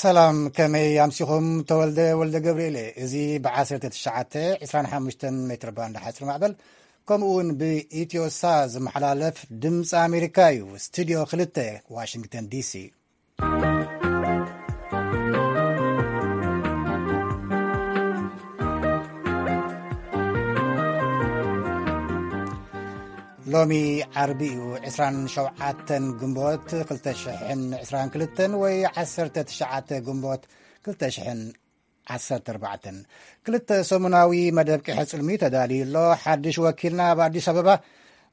ሰላም፣ ከመይ ኣምሲኹም? ተወልደ ወልደ ገብርኤል እየ። እዚ ብ1925 ሜትር ባንድ ሓፂር ማዕበል፣ ከምኡ እውን ብኢትዮሳ ዝመሓላለፍ ድምፂ ኣሜሪካ እዩ። ስቱዲዮ 2፣ ዋሽንግተን ዲሲ። ሎሚ ዓርቢ እዩ፣ 27 ግንቦት 2022፣ ወይ 19 ግንቦት 2014። ክልተ ሰሙናዊ መደብ ቂሐ ጽልሚ ተዳልዩ ኣሎ። ሓድሽ ወኪልና ኣብ ኣዲስ ኣበባ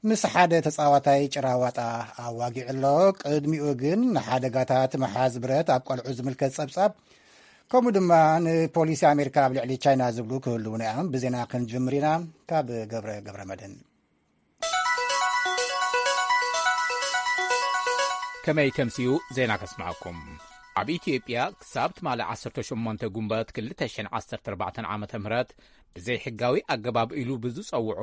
ምስ ሓደ ተጻዋታይ ጭራዋጣ ኣዋጊዑ ኣሎ። ቅድሚኡ ግን ንሓደጋታት ምሓዝ ብረት ኣብ ቆልዑ ዝምልከት ጸብጻብ፣ ከምኡ ድማ ንፖሊሲ ኣሜሪካ ኣብ ልዕሊ ቻይና ዝብሉ ክህልዉና እዮም። ብዜና ክንጅምር ኢና። ካብ ገብረ ገብረ መድህን። ከመይ ተምስዩ ዜና ከስምዐኩም። ኣብ ኢትዮጵያ ክሳብ ትማሊ 18 ጉንበት 2014 ዓመተ ምህረት ብዘይ ሕጋዊ ኣገባብ ኢሉ ብዝጸውዖ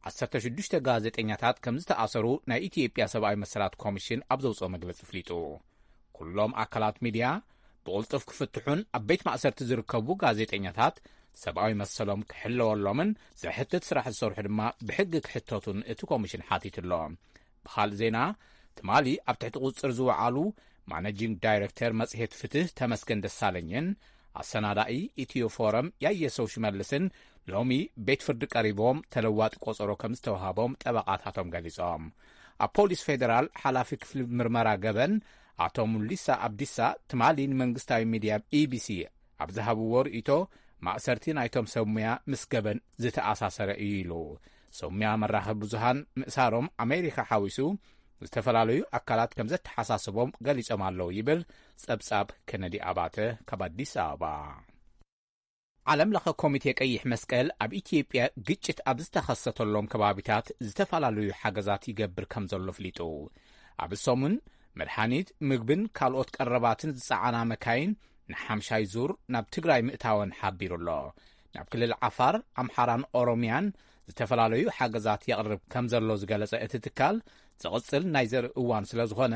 16 ጋዜጠኛታት ከም ዝተኣሰሩ ናይ ኢትዮጵያ ሰብኣዊ መሰላት ኮሚሽን ኣብ ዘውጽኦ መግለጺ ኣፍሊጡ። ኩሎም ኣካላት ሚድያ ብቕልጡፍ ክፍትሑን ኣብ ቤት ማእሰርቲ ዝርከቡ ጋዜጠኛታት ሰብኣዊ መሰሎም ክሕለወሎምን ዘሕትት ስራሕ ዝሰርሑ ድማ ብሕጊ ክሕተቱን እቲ ኮሚሽን ሓቲቱ ኣሎ። ብኻልእ ዜና፣ ትማሊ ኣብ ትሕቲ ቁጽጽር ዝወዓሉ ማነጂንግ ዳይሬክተር መጽሔት ፍትህ ተመስገን ደሳለኝን ኣሰናዳኢ ኢትዮ ፎረም ያየሰው ሽመልስን ሎሚ ቤት ፍርዲ ቀሪቦም ተለዋጢ ቆጸሮ ከም ዝተዋሃቦም ጠበቓታቶም ገሊጾም። ኣብ ፖሊስ ፌደራል ሓላፊ ክፍሊ ምርመራ ገበን ኣቶ ሙሊሳ ኣብዲሳ ትማሊ ንመንግስታዊ ሚድያ ኢቢሲ ኣብ ዝሃብዎ ርእይቶ፣ ማእሰርቲ ናይቶም ሰብ ሙያ ምስ ገበን ዝተኣሳሰረ እዩ ኢሉ። ሰብ ሙያ መራኸቢ ብዙሃን ምእሳሮም ኣሜሪካ ሓዊሱ ዝተፈላለዩ ኣካላት ከም ዘተሓሳስቦም ገሊጾም ኣለዉ ይብል ጸብጻብ ከነዲ ኣባተ ካብ ኣዲስ ኣበባ። ዓለም ለኸ ኮሚቴ ቀይሕ መስቀል ኣብ ኢትዮጵያ ግጭት ኣብ ዝተኸሰተሎም ከባቢታት ዝተፈላለዩ ሓገዛት ይገብር ከም ዘሎ ኣፍሊጡ። ኣብ ሰሙን መድሓኒት፣ ምግብን ካልኦት ቀረባትን ዝጸዓና መካይን ንሓምሻይ ዙር ናብ ትግራይ ምእታወን ሓቢሩ ኣሎ። ናብ ክልል ዓፋር፣ ኣምሓራን ኦሮሚያን ዝተፈላለዩ ሓገዛት የቕርብ ከም ዘሎ ዝገለጸ እቲ ትካል፣ ዝቕጽል ናይ ዘርኢ እዋን ስለ ዝኾነ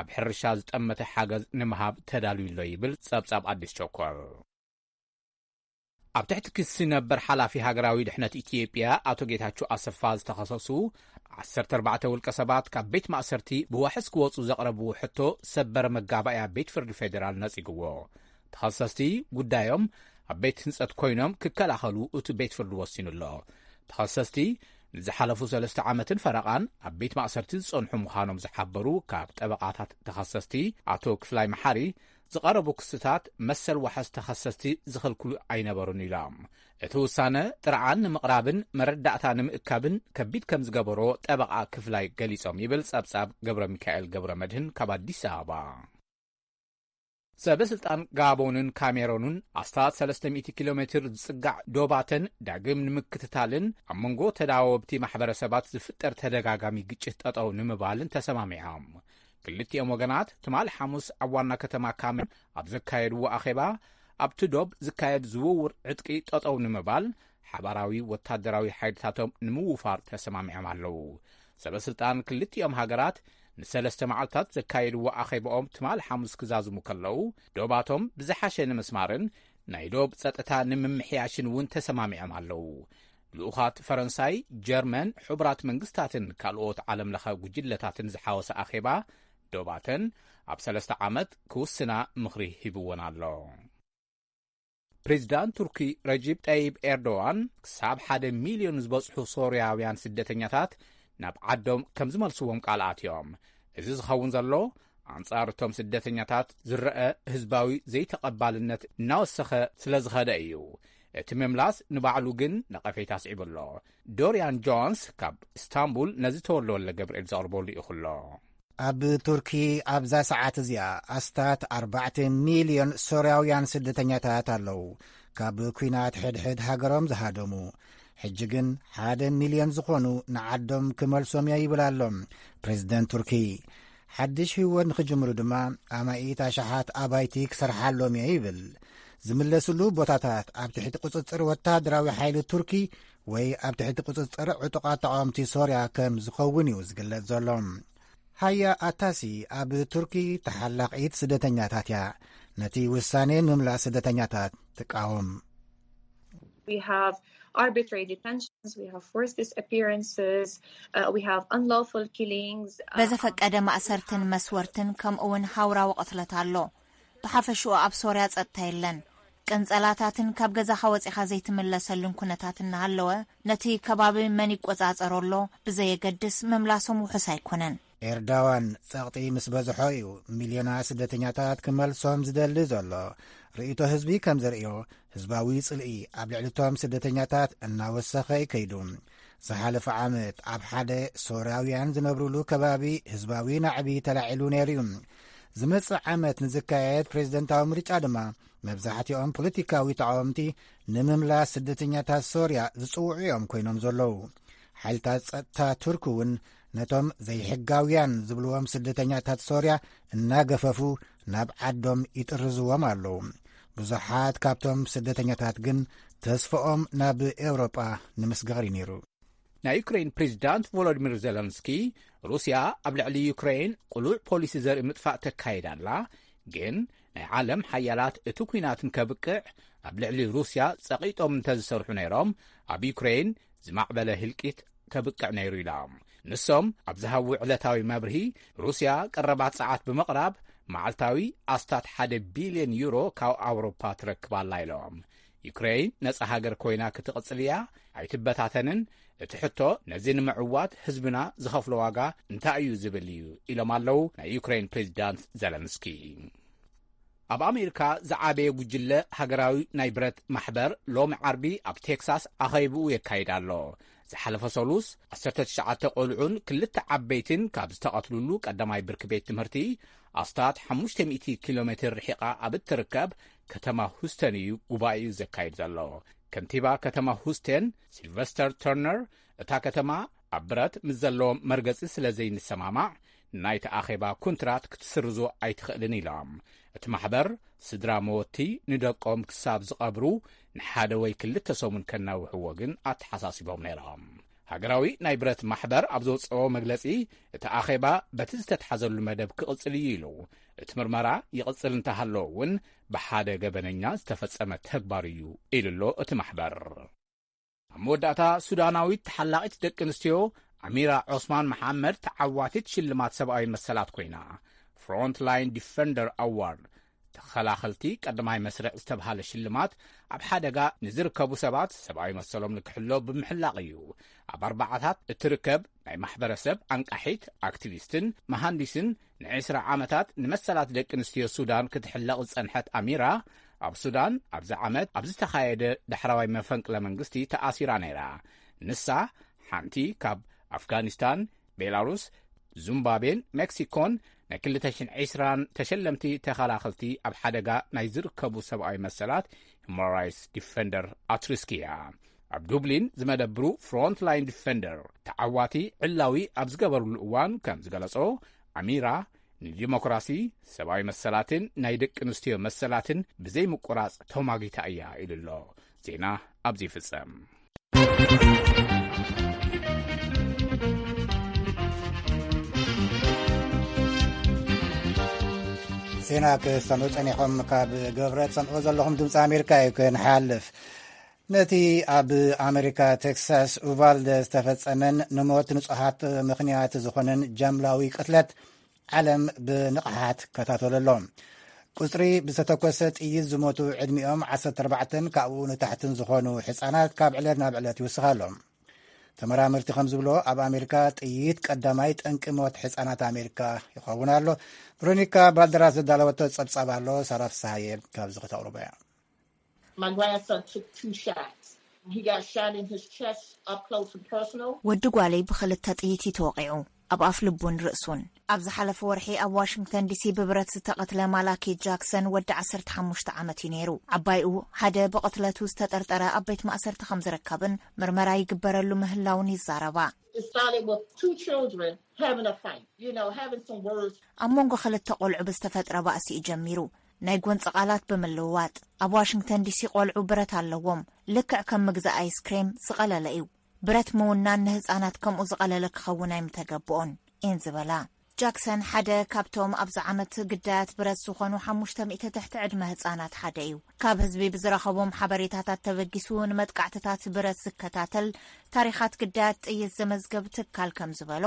ኣብ ሕርሻ ዝጠመተ ሓገዝ ንምሃብ ተዳልዩ ኣሎ ይብል ጸብጻብ ኣዲስ ቸኮል። ኣብ ትሕቲ ክሲ ነበር ሓላፊ ሃገራዊ ድሕነት ኢትዮጵያ ኣቶ ጌታቸው ኣሰፋ ዝተኸሰሱ 14 ውልቀ ሰባት ካብ ቤት ማእሰርቲ ብዋሕስ ክወጹ ዘቕረብዎ ሕቶ ሰበር መጋባእያ ቤት ፍርዲ ፌዴራል ነጺግዎ። ተኸሰስቲ ጉዳዮም ኣብ ቤት ህንጸት ኮይኖም ክከላኸሉ እቲ ቤት ፍርዲ ወሲኑ ኣሎ። ተኸሰስቲ ንዝሓለፉ ሰለስተ ዓመትን ፈረቓን ኣብ ቤት ማእሰርቲ ዝጸንሑ ምዃኖም ዝሓበሩ ካብ ጠበቓታት ተኸሰስቲ ኣቶ ክፍላይ መሓሪ፣ ዝቐረቡ ክስታት መሰል ዋሕስ ተኸሰስቲ ዝኽልክሉ ኣይነበሩን ኢሎም። እቲ ውሳነ ጥርዓን ንምቕራብን መረዳእታ ንምእካብን ከቢድ ከም ዝገበሮ ጠበቓ ክፍላይ ገሊጾም ይብል ጸብጻብ ገብረ ሚካኤል ገብረ መድህን ካብ ኣዲስ ኣበባ። ሰበ ስልጣን ጋቦንን ካሜሮንን ኣስታት 300 ኪሎ ሜትር ዝጽጋዕ ዶባተን ዳግም ንምክትታልን ኣብ መንጎ ተዳወብቲ ማሕበረሰባት ዝፍጠር ተደጋጋሚ ግጭት ጠጠው ንምባልን ተሰማሚዖም። ክልቲኦም ወገናት ትማሊ ሓሙስ ኣብ ዋና ከተማ ካሜሮን ኣብ ዘካየድዎ ኣኼባ፣ ኣብቲ ዶብ ዝካየድ ዝውውር ዕጥቂ ጠጠው ንምባል ሓባራዊ ወታደራዊ ሓይልታቶም ንምውፋር ተሰማሚዖም ኣለዉ። ሰበ ስልጣን ክልቲኦም ሃገራት ንሰለስተ መዓልታት ዘካየድዎ ኣኼባኦም ትማሊ ሓሙስ ክዛዝሙ ከለዉ፣ ዶባቶም ብዝሓሸ ንምስማርን ናይ ዶብ ጸጥታ ንምምሕያሽን እውን ተሰማሚዖም ኣለዉ። ልኡኻት ፈረንሳይ፣ ጀርመን፣ ሕቡራት መንግስታትን ካልኦት ዓለም ለኸ ጉጅለታትን ዝሓወሰ ኣኼባ ዶባተን ኣብ ሰለስተ ዓመት ክውስና ምኽሪ ሂብዎን ኣሎ። ፕሬዚዳንት ቱርኪ ረጂብ ጠይብ ኤርዶዋን ክሳብ ሓደ ሚልዮን ዝበጽሑ ሶርያውያን ስደተኛታት ናብ ዓዶም ከም ዝመልስዎም ቃል ኣትዮም። እዚ ዝኸውን ዘሎ ኣንጻር እቶም ስደተኛታት ዝረአ ህዝባዊ ዘይተቐባልነት እናወሰኸ ስለ ዝኸደ እዩ። እቲ ምምላስ ንባዕሉ ግን ነቐፌታ ኣስዒቡ ኣሎ። ዶርያን ጆንስ ካብ ኢስታንቡል ነዚ ተወልደ ወልደ ገብርኤል ዘቕርበሉ ይኹሎ። ኣብ ቱርኪ ኣብዛ ሰዓት እዚኣ ኣስታት 4 ሚልዮን ሶርያውያን ስደተኛታት ኣለዉ፣ ካብ ኲናት ሕድሕድ ሃገሮም ዝሃደሙ። ሕጂ ግን ሓደ ሚልዮን ዝኾኑ ንዓዶም ክመልሶም እየ ይብል ኣሎ ፕሬዚደንት ቱርኪ። ሓድሽ ህይወት ንኽጅምሩ ድማ ኣማኢት ኣሽሓት ኣባይቲ ክሰርሓሎም እየ ይብል። ዝምለስሉ ቦታታት ኣብ ትሕቲ ቁጽጽር ወታደራዊ ሓይሊ ቱርኪ ወይ ኣብ ትሕቲ ቁጽጽር ዕጡቓት ተቓወምቲ ሶርያ ከም ዝኸውን እዩ ዝግለጽ ዘሎ። ሃያ ኣታሲ ኣብ ቱርኪ ተሓላቒት ስደተኛታት እያ። ነቲ ውሳኔ ምምላስ ስደተኛታት ትቃወም። We have arbitrary detentions, we have forced disappearances, uh, we have unlawful killings. Uh, በዘፈቀደ ማእሰርትን መስወርትን ከምኡውን ሃውራዊ ቅትለት ኣሎ። ብሓፈሽኡ ኣብ ሶርያ ጸጥታ የለን። ቅንጸላታትን ካብ ገዛኻ ወጺኻ ዘይትምለሰሉን ኩነታት እናሃለወ፣ ነቲ ከባቢ መን ይቆጻጸሮ ኣሎ ብዘየገድስ ምምላሶም ውሑስ ኣይኮነን። ኤርዳዋን ጸቕጢ ምስ በዝሖ እዩ ሚልዮናት ስደተኛታት ክመልሶም ዝደሊ ዘሎ። ርእይቶ ህዝቢ ከም ዘርእዮ፣ ህዝባዊ ጽልኢ ኣብ ልዕሊ እቶም ስደተኛታት እናወሰኸ እዩ ከይዱ። ዝሓለፈ ዓመት ኣብ ሓደ ሶርያውያን ዝነብሩሉ ከባቢ ህዝባዊ ናዕቢ ተላዒሉ ነይሩ እዩ። ዝመጽእ ዓመት ንዝካየድ ፕሬዝደንታዊ ምርጫ ድማ መብዛሕትኦም ፖለቲካዊ ተቃወምቲ ንምምላስ ስደተኛታት ሶርያ ዝጽውዑ እዮም ኮይኖም ዘለዉ። ሓይልታት ጸጥታ ቱርክ እውን ነቶም ዘይሕጋውያን ዝብልዎም ስደተኛታት ሶርያ እናገፈፉ ናብ ዓዶም ይጥርዝዎም ኣለዉ። ብዙሓት ካብቶም ስደተኛታት ግን ተስፍኦም ናብ ኤውሮጳ ንምስጋር እዩ ነይሩ። ናይ ዩክሬን ፕሬዚዳንት ቮሎዲሚር ዜለንስኪ ሩስያ ኣብ ልዕሊ ዩክሬን ቅሉዕ ፖሊሲ ዘርኢ ምጥፋእ ተካይድ ኣላ፣ ግን ናይ ዓለም ሓያላት እቲ ኲናት ንከብቅዕ ኣብ ልዕሊ ሩስያ ጸቒጦም እንተዝሰርሑ ነይሮም ኣብ ዩክሬን ዝማዕበለ ህልቂት ከብቅዕ ነይሩ ኢሎም። ንሶም ኣብ ዝሃብዎ ዕለታዊ መብርሂ፣ ሩስያ ቀረባት ሰዓት ብምቕራብ መዓልታዊ ኣስታት ሓደ ቢልዮን ዩሮ ካብ ኣውሮፓ ትረክብ ኣላ ኢሎም። ዩክሬን ነጻ ሃገር ኮይና ክትቕጽል እያ፣ ኣይትበታተንን። እቲ ሕቶ ነዚ ንምዕዋት ህዝብና ዝኸፍሎ ዋጋ እንታይ እዩ ዝብል እዩ ኢሎም ኣለዉ ናይ ዩክሬን ፕሬዚዳንት ዘለንስኪ። ኣብ ኣሜሪካ ዝዓበየ ጉጅለ ሃገራዊ ናይ ብረት ማሕበር ሎሚ ዓርቢ ኣብ ቴክሳስ ኣኸይብኡ የካይድ ኣሎ። ዝሓለፈ ሰሉስ ዓሰርተ ትሽዓተ ቆልዑን ክልተ ዓበይትን ካብ ዝተቐትሉሉ ቀዳማይ ብርኪ ቤት ትምህርቲ ኣስታት ሓሙሽተ ሚእቲ ኪሎ ሜትር ርሒቓ ኣብ እትርከብ ከተማ ሁስተን እዩ ጉባኤኡ ዘካይድ ዘሎ። ከንቲባ ከተማ ሁስተን ሲልቨስተር ተርነር፣ እታ ከተማ ኣብ ብረት ምስ ዘለዎም መርገጺ ስለ ዘይንሰማማዕ ናይቲ ኣኼባ ኩንትራት ክትስርዞ ኣይትኽእልን ኢሎም። እቲ ማሕበር ስድራ መወቲ ንደቆም ክሳብ ዝቐብሩ ንሓደ ወይ ክልተ ሰሙን ከናውሕዎ ግን ኣተሓሳሲቦም ነይሮም። ሃገራዊ ናይ ብረት ማሕበር ኣብ ዘውፅኦ መግለፂ፣ እቲ ኣኼባ በቲ ዝተትሓዘሉ መደብ ክቕፅል እዩ ኢሉ። እቲ ምርመራ ይቕፅል እንተሃለወ እውን ብሓደ ገበነኛ ዝተፈፀመ ተግባር እዩ ኢሉ ኣሎ እቲ ማሕበር። ኣብ መወዳእታ፣ ሱዳናዊት ተሓላቒት ደቂ ኣንስትዮ ኣሚራ ዖስማን መሓመድ ተዓዋቲት ሽልማት ሰብኣዊ መሰላት ኮይና። ፍሮንትላይን ዲፈንደር ኣዋርድ፣ ተኸላኸልቲ ቀዳማይ መስርዕ ዝተብሃለ ሽልማት ኣብ ሓደጋ ንዝርከቡ ሰባት ሰብኣዊ መሰሎም ንክሕሎ ብምሕላቕ እዩ። ኣብ ኣርባዓታት እትርከብ ናይ ማሕበረሰብ ኣንቃሒት፣ ኣክቲቪስትን መሃንዲስን፣ ንዕስራ ዓመታት ንመሰላት ደቂ ኣንስትዮ ሱዳን ክትሕለቕ ዝጸንሐት ኣሚራ፣ ኣብ ሱዳን ኣብዚ ዓመት ኣብ ዝተኻየደ ዳሕራዋይ መፈንቅለ መንግስቲ ተኣሲራ ነይራ። ንሳ ሓንቲ ካብ ኣፍጋኒስታን፣ ቤላሩስ፣ ዙምባቤን ሜክሲኮን ናይ ክልተ ሽሕን ዕስራን ተሸለምቲ ተኸላኸልቲ ኣብ ሓደጋ ናይ ዝርከቡ ሰብኣዊ መሰላት ሁማን ራይትስ ዲፈንደር ኣትሪስክ እያ። ኣብ ዱብሊን ዝመደብሩ ፍሮንትላይን ዲፈንደር ተዓዋቲ ዕላዊ ኣብ ዝገበርሉ እዋን ከም ዝገለጾ፣ ኣሚራ ንዲሞክራሲ፣ ሰብኣዊ መሰላትን ናይ ደቂ ኣንስትዮ መሰላትን ብዘይምቁራጽ ተማጊታ እያ ኢሉ ኣሎ። ዜና ኣብዚ ይፍጸም። ዜና ክሰምዑ ጸኒሖም ካብ ገብረ ትሰምዑ ዘለኹም ድምፂ ኣሜሪካ እዩ። ክንሓልፍ፣ ነቲ ኣብ ኣሜሪካ ቴክሳስ ኡቫልደ ዝተፈጸመን ንሞት ንጹሃት ምኽንያት ዝኾነን ጃምላዊ ቅትለት ዓለም ብንቕሓት ከታተሎ ኣሎ። ቁጽሪ ብዝተተኮሰ ጥይት ዝሞቱ ዕድሚኦም ዓሰርተ ኣርባዕተን ካብኡ ንታሕትን ዝኾኑ ሕጻናት ካብ ዕለት ናብ ዕለት ይውስኽ ኣሎ። ተመራመርቲ ከም ዝብሎ፣ ኣብ ኣሜሪካ ጥይት ቀዳማይ ጠንቂ ሞት ሕጻናት ኣሜሪካ ይኸውን ኣሎ። ቨሮኒካ ባልደራስ ዘዳለወቶ ጸብጻብ ኣሎ፣ ሳራ ፍስሃየ ካብዚ ከተቕርቦ እያ። My grandson took two shots. He got shot in his chest, up close and personal. ወዲ ጓለይ ብኽልተ ጥይት እዩ ተወቒዑ፣ ኣብ ኣፍ ልቡን ርእሱን። ኣብ ዝሓለፈ ወርሒ ኣብ ዋሽንግተን ዲሲ ብብረት ዝተቐትለ ማላኪ ጃክሰን ወዲ ዓሰርተ ሓሙሽተ ዓመት እዩ ነይሩ። ዓባይኡ ሓደ ብቕትለቱ ዝተጠርጠረ ኣብ ቤት ማእሰርቲ ከም ዝርከብን ምርመራ ይግበረሉ ምህላውን ይዛረባ። It started with two children having a fight, you know, having some words. ኣብ መንጎ ክልተ ቆልዑ ብዝተፈጥረ ባእሲ እዩ ጀሚሩ፣ ናይ ጎንፂ ቃላት ብምልውዋጥ። ኣብ ዋሽንግተን ዲሲ ቆልዑ ብረት ኣለዎም፣ ልክዕ ከም ምግዛእ ኣይስክሬም ዝቐለለ እዩ። ብረት ምውናን ንህፃናት ከምኡ ዝቐለለ ክኸውን ኣይምተገብኦን እየን ዝበላ። ጃክሰን ሓደ ካብቶም ኣብዚ ዓመት ግዳያት ብረት ዝኾኑ ሓሙሽተ ሚእቲ ትሕቲ ዕድመ ህጻናት ሓደ እዩ። ካብ ህዝቢ ብዝረኸቦም ሓበሬታታት ተበጊሱ ንመጥቃዕትታት ብረት ዝከታተል፣ ታሪኻት ግዳያት ጥይት ዘመዝገብ ትካል ከም ዝበሎ፣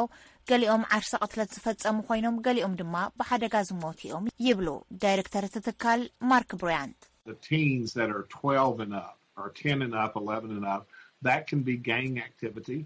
ገሊኦም ዓርሰ ቅትለት ዝፈጸሙ ኮይኖም፣ ገሊኦም ድማ ብሓደጋ ዝሞቱ እዮም ይብሉ ዳይሬክተር እቲ ትካል ማርክ ብራያንት። The teens that are twelve and up, or ten and up, eleven and up, that can be gang activity.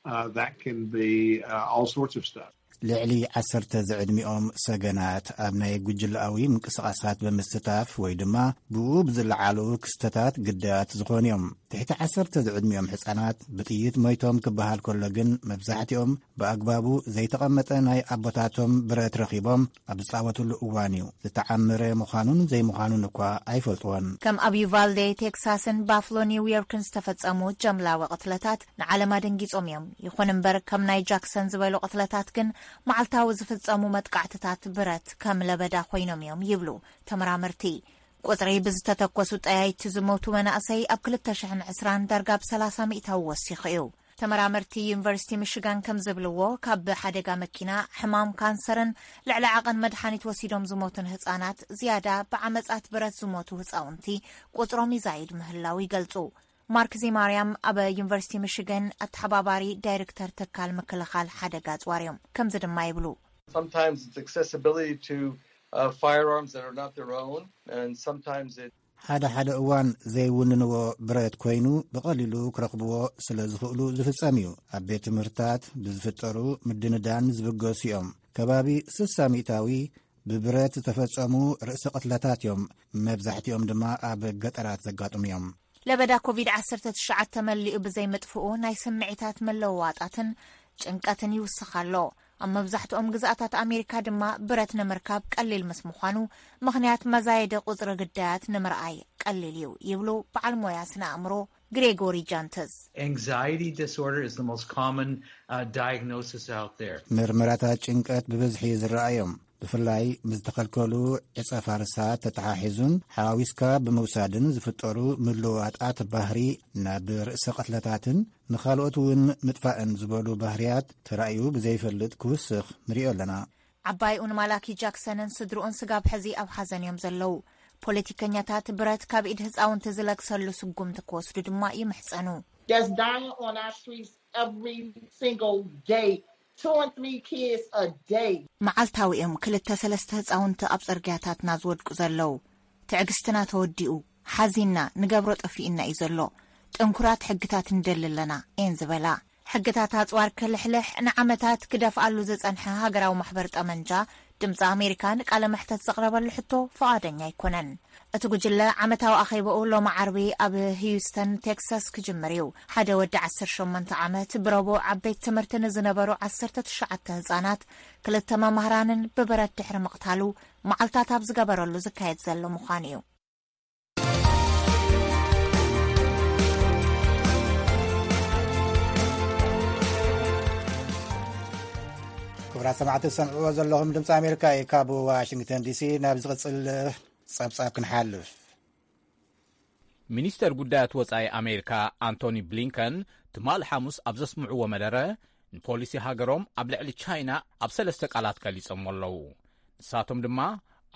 Uh, that can be uh, all sorts of stuff. ልዕሊ ዓሰርተ ዝዕድሚኦም ሰገናት ኣብ ናይ ጉጅለኣዊ ምንቅስቓሳት ብምስታፍ ወይ ድማ ብኡ ብዝለዓሉ ክስተታት ግዳያት ዝኾኑ እዮም። ትሕቲ ዓሰርተ ዝዕድሚኦም ሕጻናት ብጥይት ሞይቶም ክበሃል ከሎ ግን፣ መብዛሕትኦም ብኣግባቡ ዘይተቐመጠ ናይ ኣቦታቶም ብረት ረኺቦም ኣብ ዝጻወትሉ እዋን እዩ። ዝተዓመረ ምዃኑን ዘይምዃኑን እኳ ኣይፈልጥዎን። ከም ኣብ ዩቫልዴ ቴክሳስን ባፍሎ ኒውዮርክን ዝተፈጸሙ ጀምላዊ ቅትለታት ንዓለም ኣደንጊጾም እዮም። ይኹን እምበር፣ ከም ናይ ጃክሰን ዝበሉ ቅትለታት ግን መዓልታዊ ዝፍጸሙ መጥቃዕትታት ብረት ከም ለበዳ ኮይኖም እዮም ይብሉ ተመራመርቲ። ቁጽሪ ብዝተተኮሱ ጠያይቲ ዝሞቱ መናእሰይ ኣብ ክልተ ሽሕን ዕስራን ዳርጋ ብ ሰላሳ ሚእታዊ ወሲኹ እዩ። ተመራመርቲ ዩኒቨርሲቲ ሚሽጋን ከም ዝብልዎ፣ ካብ ሓደጋ መኪና፣ ሕማም ካንሰርን ልዕሊ ዓቐን መድሓኒት ወሲዶም ዝሞቱን ህጻናት ዝያዳ ብዓመጻት ብረት ዝሞቱ ህጻውንቲ ቁጽሮም ይዛይድ ምህላው ይገልጹ። ማርክ ዚማርያም ኣብ ዩኒቨርሲቲ ሚሽጋን ኣተሓባባሪ ዳይሬክተር ትካል ምክልኻል ሓደጋ ኣጽዋር እዮም። ከምዚ ድማ ይብሉ። Sometimes it's accessibility to uh, firearms that are not their own, and sometimes it ሓደ ሓደ እዋን ዘይውንንዎ ብረት ኮይኑ ብቐሊሉ ክረኽብዎ ስለ ዝኽእሉ ዝፍጸም እዩ። ኣብ ቤት ትምህርታት ብዝፍጠሩ ምድንዳን ዝብገሱ እዮም። ከባቢ ስሳ ሚእታዊ ብብረት ዝተፈጸሙ ርእሰ ቅትለታት እዮም። መብዛሕትኦም ድማ ኣብ ገጠራት ዘጋጥሙ እዮም። ለበዳ ኮቪድ ዓሰርተ ትሽዓተ መሊኡ ብዘይምጥፍኡ ናይ ስምዒታት መለዋወጣትን ጭንቀትን ይውስኽ ኣሎ። ኣብ መብዛሕትኦም ግዝኣታት ኣሜሪካ ድማ ብረት ንምርካብ ቀሊል ምስ ምዃኑ ምኽንያት መዛየደ ቁጽሪ ግዳያት ንምርኣይ ቀሊል እዩ ይብሉ በዓል ሞያ ስነ ኣእምሮ ግሬጎሪ ጃንተስ። Anxiety disorder is the most common uh, diagnosis out there. ምርመራታት ጭንቀት ብብዝሒ ዝረኣዮም፣ ብፍላይ ምስ ዝተኸልከሉ ዕጸ ፋርሳት ተተሓሒዙን ሓዋዊስካ ብምውሳድን ዝፍጠሩ ምልውዋጣት ባህሪ ናብ ርእሰ ቅትለታትን ንኻልኦት እውን ምጥፋእን ዝበሉ ባህርያት ተራእዩ ብዘይፈልጥ ክውስኽ ንሪኦ ኣለና። ዓባይኡን ማላኪ ጃክሰንን ስድርኡን ስጋብ ሕዚ ኣብ ሓዘን እዮም ዘለዉ። ፖለቲከኛታት ብረት ካብ ኢድ ህፃውንቲ ዝለግሰሉ ስጉምቲ ክወስዱ ድማ ይምሕፀኑ። That's dying on our streets every single day. Two and three kids a day. መዓልታዊ እዮም ክልተ ሰለስተ ህፃውንቲ ኣብ ፅርግያታትና ዝወድቁ ዘለዉ። ትዕግስትና ተወዲኡ፣ ሓዚንና፣ ንገብሮ ጠፊእና እዩ ዘሎ። ጥንኩራት ሕግታት ንደሊ ኣለና እየን ዝበላ። ሕግታት ኣፅዋር ክልሕልሕ ንዓመታት ክደፍኣሉ ዝፀንሐ ሃገራዊ ማሕበር ጠመንጃ ድምፂ ኣሜሪካ ንቃለ መሕተት ዘቕረበሉ ሕቶ ፍቓደኛ ኣይኮነን። እቲ ጉጅለ ዓመታዊ ኣኼባኡ ሎሚ ዓርቢ ኣብ ህዩስተን ቴክሳስ ክጅምር እዩ። ሓደ ወዲ ዓሰርተ ሸሞንተ ዓመት ብረቡዕ ኣብ ቤት ትምህርቲ ንዝነበሩ ዓሰርተ ትሽዓተ ህፃናት ክልተ መማህራንን ብብረት ድሕሪ ምቕታሉ መዓልታት ኣብ ዝገበረሉ ዝካየድ ዘሎ ምዃኑ እዩ። ክቡራት ሰማዕቲ ዝሰምዕዎ ዘለኹም ድምፂ ኣሜሪካ እዩ። ካብ ዋሽንግተን ዲሲ ናብ ዝቕፅል ፀብፃብ ክንሓልፍ። ሚኒስተር ጉዳያት ወጻኢ ኣሜሪካ ኣንቶኒ ብሊንከን ትማሊ ሓሙስ ኣብ ዘስምዕዎ መደረ፣ ንፖሊሲ ሃገሮም ኣብ ልዕሊ ቻይና ኣብ ሰለስተ ቃላት ገሊጾሞ ኣለዉ። ንሳቶም ድማ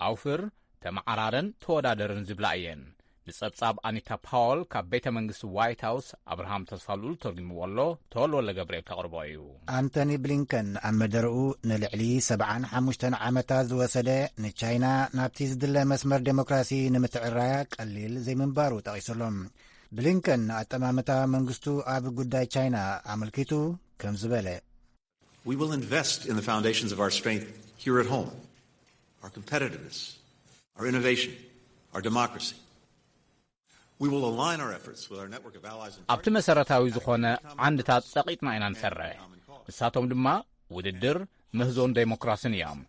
ኣውፍር፣ ተመዓራረን ተወዳደርን ዝብላ እየን። ንጸብጻብ ኣኒታ ፓወል ካብ ቤተ መንግስቲ ዋይት ሃውስ ኣብርሃም ተስፋልኡል ተርጉምዎ ኣሎ፣ ተወልወለ ገብርኤል ከቕርቦ እዩ። ኣንቶኒ ብሊንከን ኣብ መደረኡ፣ ንልዕሊ ሰብዓን ሓሙሽተን ዓመታት ዝወሰደ ንቻይና ናብቲ ዝድለ መስመር ዴሞክራሲ ንምትዕራያ ቀሊል ዘይምንባሩ ጠቒሱሎም። ብሊንከን ንኣጠማምታ መንግስቱ ኣብ ጉዳይ ቻይና ኣመልኪቱ ከም ዝበለ፣ We will invest in the foundations of our strength here at home, our competitiveness, our innovation, our democracy. We will align our efforts with our network of allies and ኣብቲ መሰረታዊ ዝኾነ ዓንድታት ጸቒጥና ኢና ንሰርሕ። ንሳቶም ድማ ውድድር፣ ምህዞን ዴሞክራስን እዮም።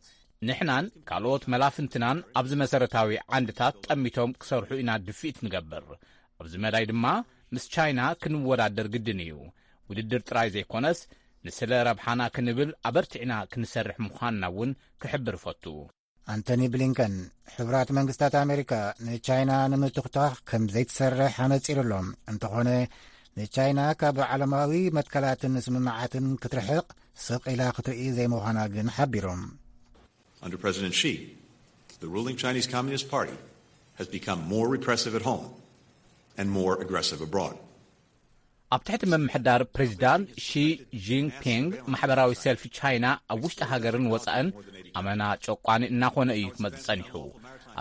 ንሕናን ካልኦት መላፍንትናን ኣብዚ መሰረታዊ ዓንድታት ጠሚቶም ክሰርሑ ኢና ድፍኢት ንገብር። ኣብዚ መዳይ ድማ ምስ ቻይና ክንወዳደር ግድን እዩ። ውድድር ጥራይ ዘይኮነስ፣ ንስለ ረብሓና ክንብል ኣበርቲዕና ክንሰርሕ ምዃንና እውን ክሕብር እፈቱ። ኣንቶኒ ብሊንከን፣ ሕቡራት መንግስታት ኣሜሪካ ንቻይና ንምትኹታኽ ከም ዘይትሰርሕ ኣነጺሩ ኣሎ። እንተኾነ፣ ንቻይና ካብ ዓለማዊ መትከላትን ስምምዓትን ክትርሕቕ ስቕ ኢላ ክትርኢ ዘይምዃና ግን ሓቢሩ። Under President Xi, the ruling Chinese Communist Party has become more repressive at home and more aggressive abroad. ኣብ ትሕቲ ምምሕዳር ፕሬዚዳንት ሺ ጂንፒንግ ማሕበራዊ ሰልፊ ቻይና ኣብ ውሽጢ ሃገርን ወፃእን ኣመና ጨቋኒ እናኾነ እዩ ክመፅእ ፀኒሑ።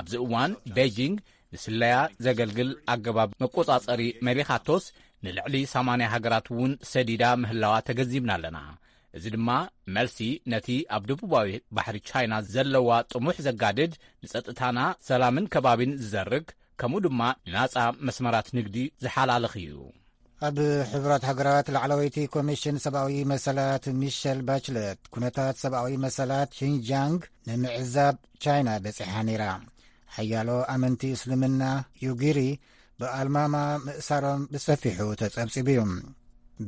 ኣብዚ እዋን ቤጂንግ ንስለያ ዘገልግል ኣገባብ መቆጻጸሪ መሪኻቶስ ንልዕሊ ሰማንያ ሃገራት እውን ሰዲዳ ምህላዋ ተገንዚብና ኣለና። እዚ ድማ መልሲ ነቲ ኣብ ደቡባዊ ባሕሪ ቻይና ዘለዋ ጥሙሕ ዘጋድድ፣ ንጸጥታና ሰላምን ከባቢን ዝዘርግ፣ ከምኡ ድማ ንናጻ መስመራት ንግዲ ዝሓላልኽ እዩ። ኣብ ሕቡራት ሃገራት ላዕለወይቲ ኮሚሽን ሰብኣዊ መሰላት ሚሸል ባችለት ኩነታት ሰብኣዊ መሰላት ሺንጃንግ ንምዕዛብ ቻይና በጺሓ ነይራ። ሓያሎ ኣመንቲ እስልምና ዩጊሪ ብኣልማማ ምእሳሮም ብሰፊሑ ተጸብጺቡ እዩ።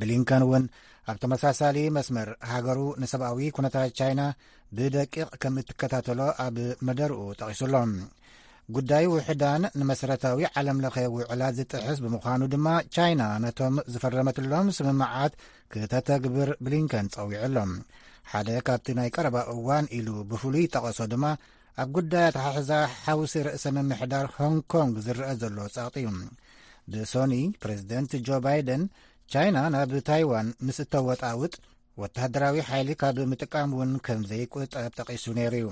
ብሊንከን እውን ኣብ ተመሳሳሊ መስመር ሃገሩ ንሰብኣዊ ኩነታት ቻይና ብደቂቕ ከም እትከታተሎ ኣብ መደርኡ ጠቒሱ ኣሎ። ጉዳይ ውሕዳን ንመሰረታዊ ዓለም ለኸ ውዕላት ዝጥሕስ ብምዃኑ ድማ ቻይና ነቶም ዝፈረመትሎም ስምምዓት ክተተግብር ብሊንከን ጸዊዑ ኣሎ። ሓደ ካብቲ ናይ ቀረባ እዋን ኢሉ ብፍሉይ ጠቐሶ ድማ ኣብ ጉዳይ ኣተሓሕዛ ሓውሲ ርእሰ ምምሕዳር ሆንግ ኮንግ ዝረአ ዘሎ ጸቕጢ እዩ። ብሶኒ ፕሬዚደንት ጆ ባይደን ቻይና ናብ ታይዋን ምስ እተወጣውጥ ወተሃደራዊ ሓይሊ ካብ ምጥቃም እውን ከም ዘይቁጠብ ጠቒሱ ነይሩ እዩ።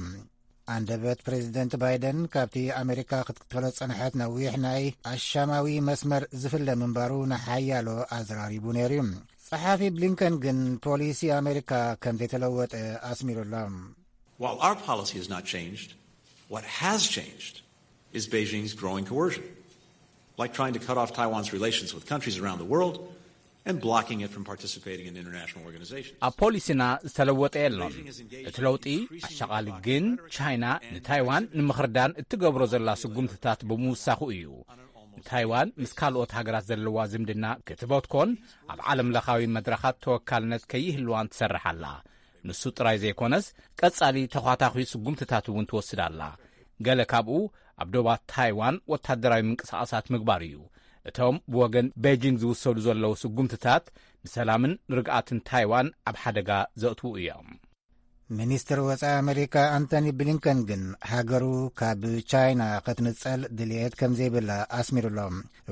ኣንደበት ፕሬዚደንት ባይደን ካብቲ ኣሜሪካ ክትክተሎ ዝጸንሐት ነዊሕ ናይ ኣሻማዊ መስመር ዝፍለ ምንባሩ ንሓያሎ ኣዘራሪቡ ነይሩ እዩ። ጸሓፊ ብሊንከን ግን ፖሊሲ ኣሜሪካ ከም ዘይተለወጠ ኣስሚሩ ኣሎ። While our policy has not changed, what has changed is Beijing's growing coercion, like trying to cut off Taiwan's relations with countries around the world and blocking it from participating in international organizations. ኣብ ፖሊሲና ዝተለወጠ የሎን። እቲ ለውጢ ኣሻቓሊ ግን ቻይና ንታይዋን ንምኽርዳን እትገብሮ ዘላ ስጉምትታት ብምውሳኹ እዩ። ንታይዋን ምስ ካልኦት ሃገራት ዘለዋ ዝምድና ክትበትኮን ኣብ ዓለም ለኻዊ መድረኻት ተወካልነት ከይህልዋን ትሰርሕ ኣላ። ንሱ ጥራይ ዘይኮነስ ቀጻሊ ተዃታኺ ስጉምትታት እውን ትወስድ ኣላ። ገለ ካብኡ ኣብ ዶባት ታይዋን ወታደራዊ ምንቅስቓሳት ምግባር እዩ። እቶም ብወገን ቤጂንግ ዝውሰዱ ዘለዉ ስጉምትታት ንሰላምን ርግኣትን ታይዋን ኣብ ሓደጋ ዘእትዉ እዮም። ሚኒስትር ወፃኢ ኣሜሪካ ኣንቶኒ ብሊንከን ግን ሃገሩ ካብ ቻይና ክትንፀል ድልየት ከም ዘይብላ ኣስሚሩሎ።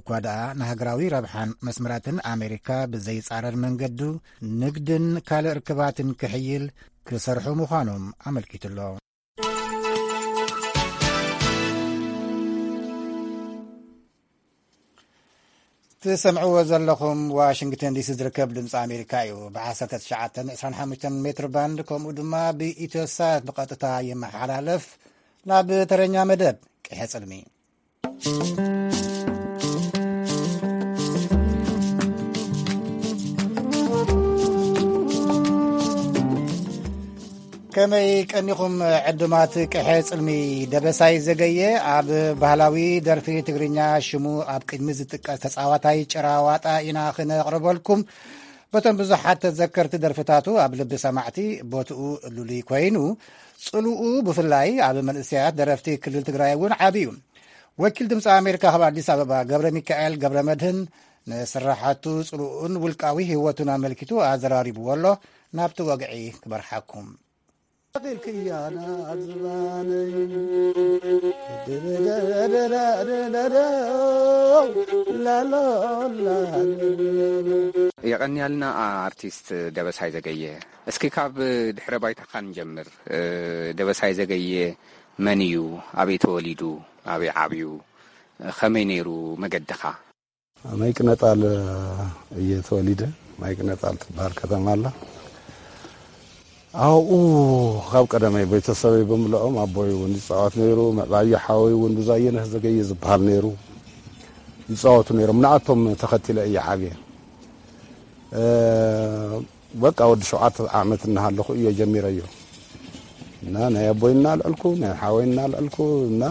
እኳ ደኣ ንሃገራዊ ረብሓን መስመራትን ኣሜሪካ ብዘይፃረር መንገዱ ንግድን ካልእ ርክባትን ክሕይል ክሰርሑ ምዃኖም ኣመልኪቱሎ። ትሰምዕዎ ዘለኹም ዋሽንግተን ዲሲ ዝርከብ ድምፂ ኣሜሪካ እዩ። ብ19 25 ሜትር ባንድ ከምኡ ድማ ብኢትዮሳት ብቐጥታ ይመሓላለፍ። ናብ ተረኛ መደብ ቅሐ ጽልሚ። ከመይ ቀኒኹም ዕዱማት ቅሐ ጽልሚ? ደበሳይ ዘገየ ኣብ ባህላዊ ደርፊ ትግርኛ ሽሙ ኣብ ቅድሚ ዝጥቀስ ተጻዋታይ ጭራ ዋጣ ኢና ክነቕርበልኩም። በቶም ብዙሓት ተዘከርቲ ደርፍታቱ ኣብ ልቢ ሰማዕቲ ቦትኡ ልሉይ ኮይኑ፣ ጽልኡ ብፍላይ ኣብ መንእሰያት ደረፍቲ ክልል ትግራይ እውን ዓቢ እዩ። ወኪል ድምፂ ኣሜሪካ ካብ ኣዲስ ኣበባ ገብረ ሚካኤል ገብረ መድህን ንስራሓቱ፣ ጽልኡን ውልቃዊ ህይወቱን ኣመልኪቱ ኣዘራሪብዎ ኣሎ። ናብቲ ወግዒ ክመርሓኩም። የቐንያልና ኣርቲስት ደበሳይ ዘገየ። እስኪ ካብ ድሕረ ባይታኻ ንጀምር። ደበሳይ ዘገየ መን እዩ? ኣበይ ተወሊዱ? ኣበይ ዓብዩ? ኸመይ ነይሩ መገድኻ? ማይቅነጣል እየ ተወሊደ። ማይቅነጣል ትበሃል ከተማ ኣላ። ኣብኡ ካብ ቀደመይ ቤተሰበይ ብምልኦም ኣቦይ እውን ይፃወት ነይሩ። ምዕባየ ሓወይ እውን ብዙኣየነህ ዘገየ ዝበሃል ነይሩ። ይፃወቱ ነይሮም። ንኣቶም ተኸቲለ እየ ዓብየ። በቃ ወዲ ሸውዓተ ዓመት እናሃለኹ እየ ጀሚረዮ። እና ናይ ኣቦይ እናልዐልኩ፣ ናይ ሓወይ እናልዐልኩ፣ እና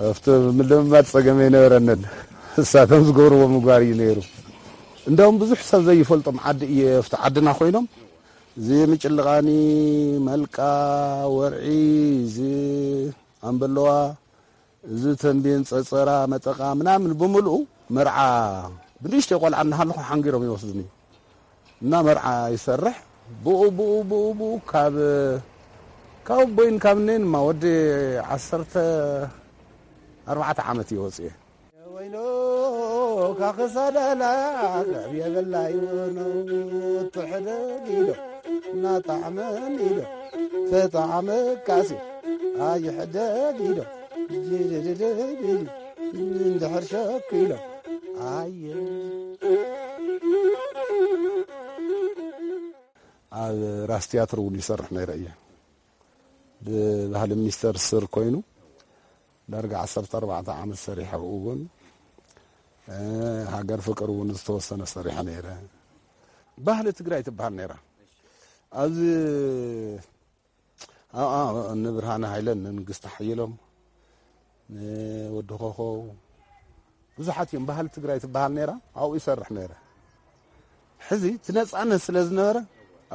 ኣብቲ ምልምማድ ጸገም ኣይነበረንን። እሳቶም ዝገብርዎ ምግባር እዩ ነይሩ። እንዳውም ብዙሕ ሰብ ዘይፈልጦም ዓዲ እየ፣ ኣብቲ ዓድና ኮይኖም፣ እዚ ምጭልቓኒ፣ መልቃ፣ ወርዒ፣ እዚ ኣምበለዋ፣ እዚ ተንቤን፣ ጸጸራ፣ መጠቓ ምናምን ብምልኡ መርዓ ብንእሽተይ ቆልዓ እናሃለኹ ሓንጊሮም ይወስዱኒ። እና መርዓ ይሰርሕ። ብኡ፣ ብኡ፣ ብኡ፣ ብኡ ካብ ካብ ቦይን ካብ ነይን ማ ወዲ ዓሰርተ ኣርባዕተ ዓመት እየ ወፅየ። ወይኖ ካኽሳዳላ ልዕብ የበላ ይወኖ ትሕደግ ኢሎ እናጣዕመን ኢሎ ተጣዕመ ካሴ ኣይሕደግ ኢሎ ጅድድድድ እንድሕር ሸክ ኢሎ ኣየ ኣብ ራስ ትያትር እውን ይሰርሕ ነይረ እየ። ብባህሊ ሚኒስተር ስር ኮይኑ ዳርጋ ዓሰርተ ኣርባዕተ ዓመት ሰሪሐ። ኣብኡ እውን ሃገር ፍቅር እውን ዝተወሰነ ሰሪሐ ነይረ። ባህሊ ትግራይ ትበሃል ነይራ። ኣብዚ ንብርሃነ ሃይለን ንንግስቲ ሓየሎም ንወዲ ኮኸው ብዙሓት እዮም። ባህሊ ትግራይ ትበሃል ነይራ፣ ኣብኡ ይሰርሕ ነይረ። ሕዚ እቲ ነፃነት ስለ ዝነበረ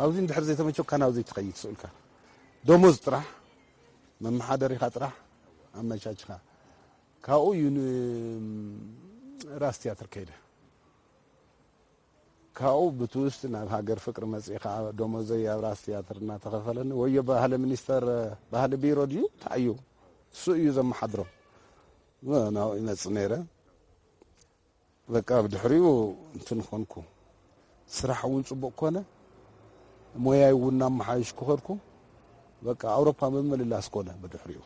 ኣብዚ እንድሕር ዘይተመቸካ ናብዚ ትኸይድ ስእልካ ደሞዝ ጥራሕ መመሓደሪኻ ጥራሕ ኣመቻችኻ ካብኡ እዩ ራስ ትያትር ከይደ። ካብኡ ብትውስቲ ናብ ሃገር ፍቅሪ መፅእ ከዓ ደሞዘይ ኣብ ራስ ትያትር እናተኸፈለኒ ወዮ ባህሊ ሚኒስተር ባህሊ ቢሮ ድዩ እንታይ እዩ እሱ እዩ ዘመሓድሮ ናብኡ ይመፅእ ነይረ። በቃ ብድሕሪኡ እንትን ኾንኩ ስራሕ እውን ፅቡቅ ኮነ። ሞያይ እውን እናመሓየሽ ክኸድኩ በቃ ኣውሮፓ ምምልላስ ኮነ። ብድሕሪኡ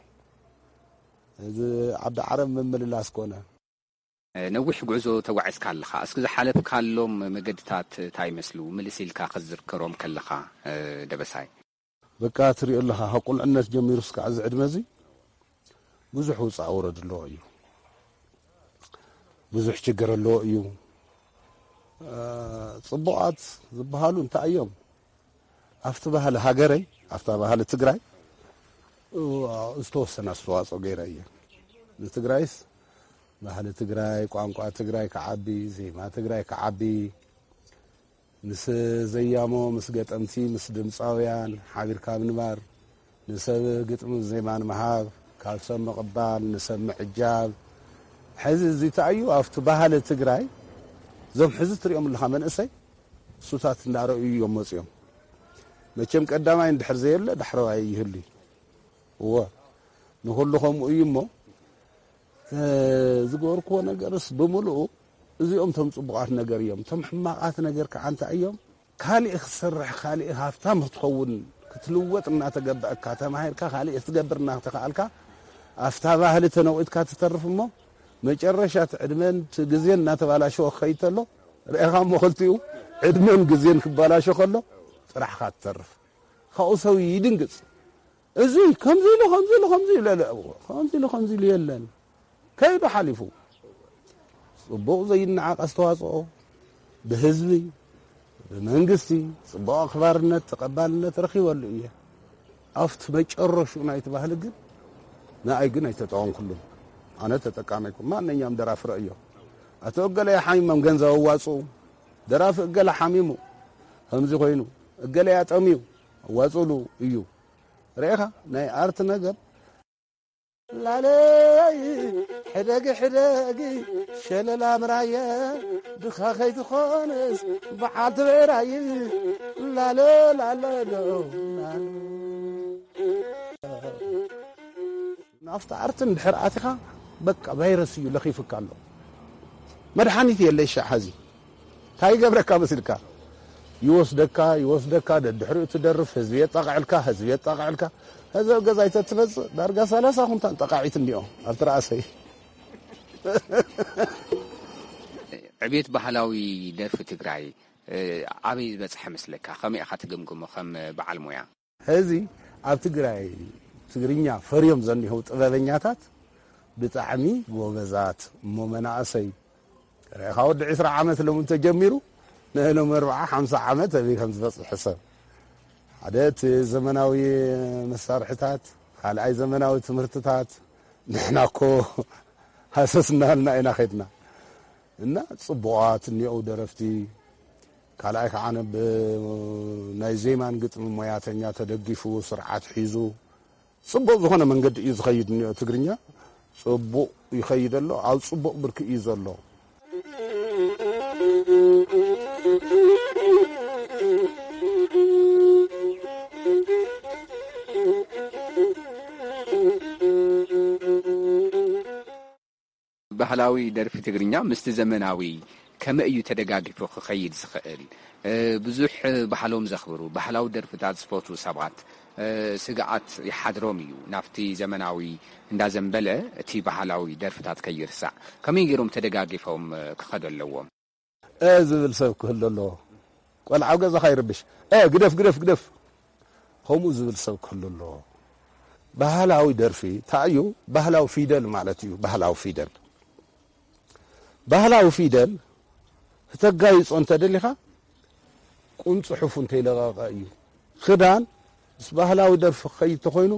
እዚ ዓዲ ዓረብ ምምልላስ ኮነ። ነዊሕ ጉዕዞ ተጓዒዝካ ኣለኻ። እስኪ ዝሓለፍካሎም መገድታት እንታይ ይመስሉ? ምልስ ኢልካ ክትዝርከሮም ከለኻ ደበሳይ። በቃ ትሪኦ ኣለኻ ካብ ቁልዕነት ጀሚሩ እስካዕ እዚ ዕድመ እዚ ብዙሕ ውፃእ ውረድ ኣለዎ እዩ። ብዙሕ ችግር ኣለዎ እዩ። ፅቡቓት ዝበሃሉ እንታይ እዮም? ኣብቲ ባህሊ ሃገረይ ኣብታ ባህሊ ትግራይ ዝተወሰነ ኣስተዋፅኦ ገይረ እየ። ንትግራይስ ባህሊ ትግራይ ቋንቋ ትግራይ ክዓቢ ዜማ ትግራይ ክዓቢ ምስ ዘያሞ ምስ ገጠምቲ ምስ ድምፃውያን ሓቢርካ ምንባር ንሰብ ግጥሚ ዜማን ምሃብ ካብ ሰብ ምቕባል ንሰብ ምዕጃብ ሕዚ እዚ ተኣዩ ኣብቲ ባህሊ ትግራይ እዞም ሕዚ ትሪኦም ኣለኻ መንእሰይ እሱታት እንዳረእዩ እዮም መፅዮም መቸም ቀዳማይ እንድሕር ዘየለ ዳሕረዋይ ይህሉ እወ ንኹሉ ከምኡ እዩ እሞ ዝገበርክዎ ነገርስ ብምልኡ እዚኦም ቶም ፅቡቓት ነገር እዮም ቶም ሕማቓት ነገር ከዓ እንታይ እዮም ካሊእ ክትሰርሕ ካሊእ ሃፍታም ክትኸውን ክትልወጥ እናተገበአካ ተማሂርካ ካሊእ ክትገብር እናተኸኣልካ ኣብታ ባህሊ ተነቂጥካ ትተርፍ እሞ መጨረሻ እቲ ዕድመን እቲ ግዜን እናተባላሸወ ክኸይድ ተሎ ርኤኻ እሞ ክልቲኡ ዕድመን ግዜን ክባላሾ ከሎ ጥራሕኻ ትተርፍ ካብኡ ሰብ ይድንግፅ እዚ ከምዚ ኢሉ ከምዚ ኢሉ ከምዚ ኢሉ ለለ ከምዚ ኢሉ ከምዚ ኢሉ የለን ከይዱ ሓሊፉ ጽቡቕ ዘይነዓቕ ኣስተዋጽኦ ብህዝቢ ብመንግስቲ ጽቡቕ ኣኽባርነት ተቐባልነት ረኺበሉ እየ ኣብቲ መጨረሽኡ ናይቲ ባህሊ ግን ንኣይ ግን ኣይተጠቐምኩሉን ኣነ ተጠቃሚ ኣይኮን ማንኛውም ደራፊ ረእዮ ኣቶ እገለ ሓሚሞም ገንዘብ ኣዋጽኡ ደራፊ እገለ ሓሚሙ ከምዚ ኮይኑ እገለ ኣጠምዩ ኣዋጽሉ እዩ ርኤኻ ናይ ኣርት ነገር ላለይ ሕደጊ ሕደጊ ሸለላ ምራየ ድኻ ከይትኾንስ በዓልቲ ብዕራይ ላለ ላለ ናፍቲ ኣርትን ድሕር ኣቲኻ በቃ ቫይረስ እዩ ለኺፍካ ኣሎ መድሓኒት የለይ ሻዕ ሐዚ እንታይ ይገብረካ መሲልካ ይወስደካ ይወስደካ ደድሕሪኡ ትደርፍ ህዝቢ የጣቕዕልካ ህዝቢ የጣቕዕልካ ህዚ ኣብ ገዛይ ተትመፅእ ዳርጋ ሰላሳ ኩንታን ጠቃዒት እንዲኦ ኣብቲ ራእሰይ ዕቤት ባህላዊ ደርፊ ትግራይ ኣበይ ዝበፅሐ መስለካ ከመይ ኢኻ ትግምግሞ ከም በዓል ሞያ ሕዚ ኣብ ትግራይ ትግርኛ ፈርዮም ዘኒሆው ጥበበኛታት ብጣዕሚ ጎበዛት እሞ መናእሰይ ርኢኻ ወዲ ዕስራ ዓመት ሎም እንተጀሚሩ ንእሎም ኣርብዓ ሓምሳ ዓመት ኣበይ ከም ዝበፅሕ ሕሰብ ሓደ እቲ ዘመናዊ መሳርሕታት ካልኣይ ዘመናዊ ትምህርትታት ንሕና እኮ ሃሰስ እናበልና ኢና ከድና እና ፅቡቓት እኒኦው ደረፍቲ ካልኣይ ከዓ ናብ ናይ ዜማን ግጥሚ ሞያተኛ ተደጊፉ ስርዓት ሒዙ ፅቡቕ ዝኾነ መንገዲ እዩ ዝኸይድ እኒኦ ትግርኛ ፅቡቕ ይኸይድ ኣሎ ኣብ ፅቡቕ ብርኪ እዩ ዘሎ ባህላዊ ደርፊ ትግርኛ ምስቲ ዘመናዊ ከመይ እዩ ተደጋጊፉ ክኸይድ ዝኽእል? እ፣ ብዙሕ ባህሎም ዘኽብሩ፣ ባህላዊ ደርፍታት ዝፈትዉ ሰባት፣ እ፣ ስግኣት ይሓድሮም እዩ። ናብቲ ዘመናዊ እንዳዘንበለ እቲ ባህላዊ ደርፍታት ከይርሳዕ ከመይ ገይሮም ተደጋጊፎም፣ እ፣ ክኸዱ ኣለዎም? እ ዝብል ሰብ ክህሉ ኣለዎ። ቆልዓ ኣብ ገዛኻ ይርብሽ። እ፣ ግደፍ፣ ግደፍ፣ ግደፍ። ከምኡ ዝብል ሰብ ክህሉ ኣለዎ። ባህላዊ ደርፊ እንታይ እዩ? ባህላዊ ፊደል ማለት እዩ። ባህላዊ ፊደል። ባህላዊ ፊደል ክተጋይጾ እንተ ደሊኻ፣ ቁም ጽሑፍ እንተይለቐቐ እዩ። ክዳን ምስ ባህላዊ ደርፊ ክኸይድ ተኾይኑ፣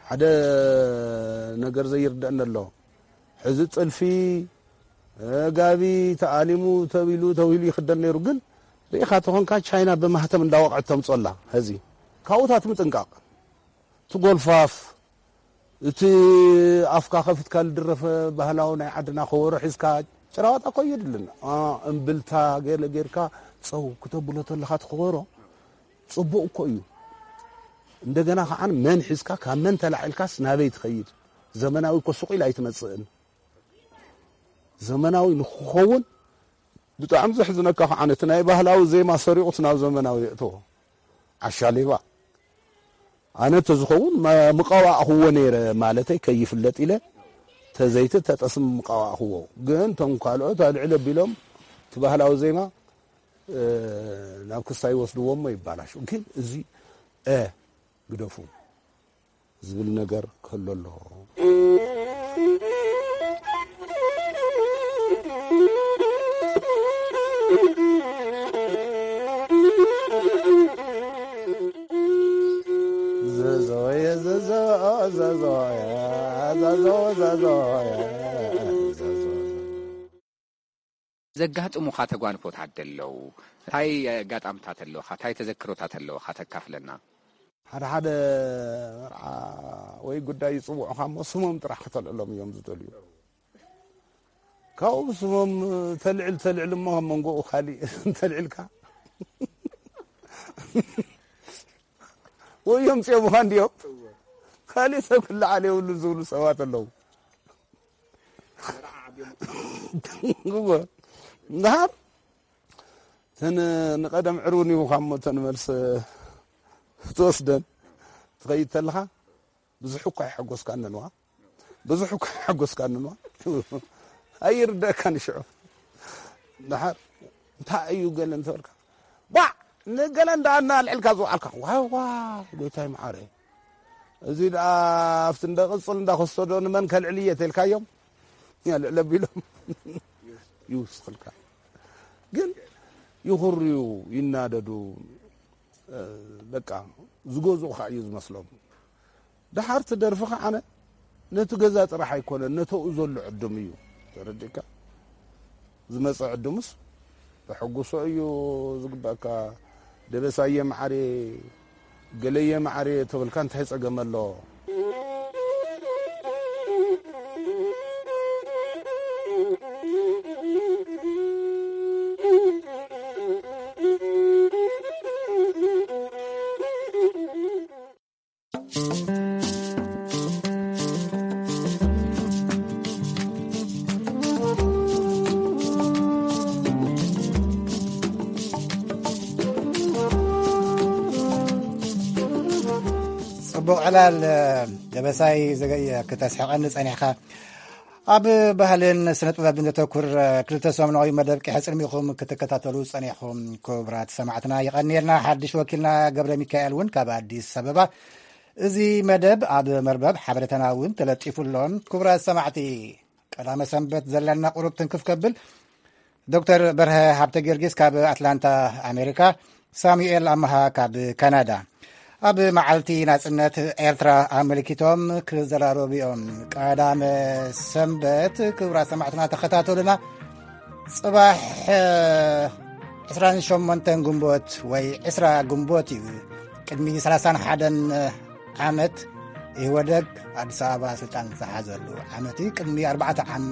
ሓደ ነገር ዘይርደአኒ ኣሎ። ሕዚ ጥልፊ፣ እ፣ ጋቢ ተኣሊሙ ተቢሉ፣ ተቢሉ ይኽደን ነይሩ። ግን ርኢኻ ተኾንካ፣ ቻይና ብማህተም እንዳወቕዐት ተምጾላ። ሕዚ ካብኡታት ምጥንቃቕ። እቲ ጎልፋፍ፣ እቲ ኣፍካ ከፊትካ ዝድረፈ ባህላዊ ናይ ዓድና ከበሮ ሒዝካ፣ ጭራዋጣ እኮ የድልን። አ፣ እምብልታ ገለ ጌርካ ጸው ክተብሎ ተለኻ እቲ ከበሮ ጽቡቕ እኮ እዩ። እንደገና ከዓን መን ሒዝካ፣ ካብ መን ተላዒልካስ ናበይ ትኸይድ? ዘመናዊ እኮ ሱቕ ኢላ ኣይትመጽእን። ዘመናዊ ንክኸውን ብጣዕሚ ዘሕዝነካ ከዓን እቲ ናይ ባህላዊ ዜማ ሰሪቑት ናብ ዘመናዊ የእትዎ። ዓሻ ሌባ። ኣነ ተዝኸውን መ-፣ ምቐባእኽዎ ነይረ ማለተይ ከይፍለጥ ኢለ ተዘይቲ ተጠስም ምቐባእኽዎ። ግን እቶም ካልኦት ኣልዕል ኣቢሎም እቲ ባህላዊ ዜማ፣ እ፣ ናብ ክስታይ ይወስድዎ እሞ ይባላሹ። ግን እዚ፣ እ፣ ግደፉ ዝብል ነገር ክህሉ ኣለዎ። ዘዘወየ፣ ዘዘወ-፣ ዘዘወየ፣ ዘዘወ-፣ ዘዘወየ፣ ዘዘወ-፣ ዘጋጥሙኻ ተጓንፎታት ደለዉ? እንታይ ኣጋጣምታት ኣለዉኻ? እንታይ ተዘክሮታት ኣለዉኻ? ተካፍለና። ሓደ ሓደ መርዓ ወይ ጉዳይ ይጽውዑኻ እሞ ስሞም ጥራሕ ከተልዕሎም እዮም ዝደልዩ። ካብኡ ስሞም ተልዕል፣ ተልዕል እሞ ካብ መንጎኡ ካሊእ እንተልዕልካ ወይ እዮም ጽዮምኻ እንድዮም፣ ካሊእ ሰብ ክለዓል የብሉን ዝብሉ ሰባት ኣለዉ። እወ። እንድሓር እተን ንቐደም ዕርቡን ይብኻ እሞ እተን መልስ ትወስደን ትኸይድ ተለኻ ብዙሕ እኳ ይሓጎስካንንዋ። ብዙሕ እኳ ይሓጎስካንንዋ። ኣይርደእካን ሽዑ። እንድሓር እንታይ እዩ ገለ እንተበልካ፣ ባዕ ንገለ እንዳ እናልዕልካ ዝውዓልካ፣ ዋይ ዋይ ጎይታይ መዓረ። እዚ ደኣ ኣብቲ እንደ ቅጽል እንዳ ከስተዶ ንመን ከልዕል እየ ተልካዮም፣ ያልዕል ኣቢሎም ይውስኽልካ። ግን ይኹርዩ፣ ይናደዱ፣ እ፣ በቃ ዝገዝኡኻ እዩ ዝመስሎም። ደሓር ትደርፊ ከዓነ ነቲ ገዛ ጥራሕ ኣይኮነን፣ ነተኡ ዘሎ ዕዱም እዩ። ተረዲእካ? ዝመጸ ዕዱምስ ተሐጉሶ እዩ ዝግበኣካ። ደበሳየ መዓርየ፣ ገለየ መዓርየ ተበልካ እንታይ ጸገም ኣሎ? ጽቡቕ ዕላል ደበሳይ፣ ዘገየ ክተስሕቐኒ ጸኒሕካ። ኣብ ባህልን ስነ ጥበብን ዘተኩር ክልተ ሰሙናዊ መደብ ቂሐ ጽልሚኹም ክትከታተሉ ጸኒሕኹም ክቡራት ሰማዕትና፣ ይቐንየልና። ሓድሽ ወኪልና ገብረ ሚካኤል እውን ካብ ኣዲስ ኣበባ እዚ መደብ ኣብ መርበብ ሓበሬታና እውን ተለጢፉ ኣሎ። ክቡራት ሰማዕቲ፣ ቀዳመ ሰንበት ዘለና ቁሩብ ትንክፍ ከብል፣ ዶክተር በርሀ ሃብተ ጊዮርጊስ ካብ ኣትላንታ ኣሜሪካ፣ ሳሙኤል ኣመሃ ካብ ካናዳ ኣብ መዓልቲ ናጽነት ኤርትራ ኣመልኪቶም ክዘራረቡ እዮም። ቀዳመ ሰንበት፣ ክቡራት ሰማዕትና ተኸታተሉና። ጽባሕ ዕስራን ሸሞንተን ግንቦት ወይ ዕስራ ግንቦት እዩ። ቅድሚ ሰላሳን ሓደን ዓመት ኢህወደግ ኣዲስ ኣበባ ስልጣን ዝሓዘሉ ዓመት እዩ። ቅድሚ ኣርባዕተ ዓመት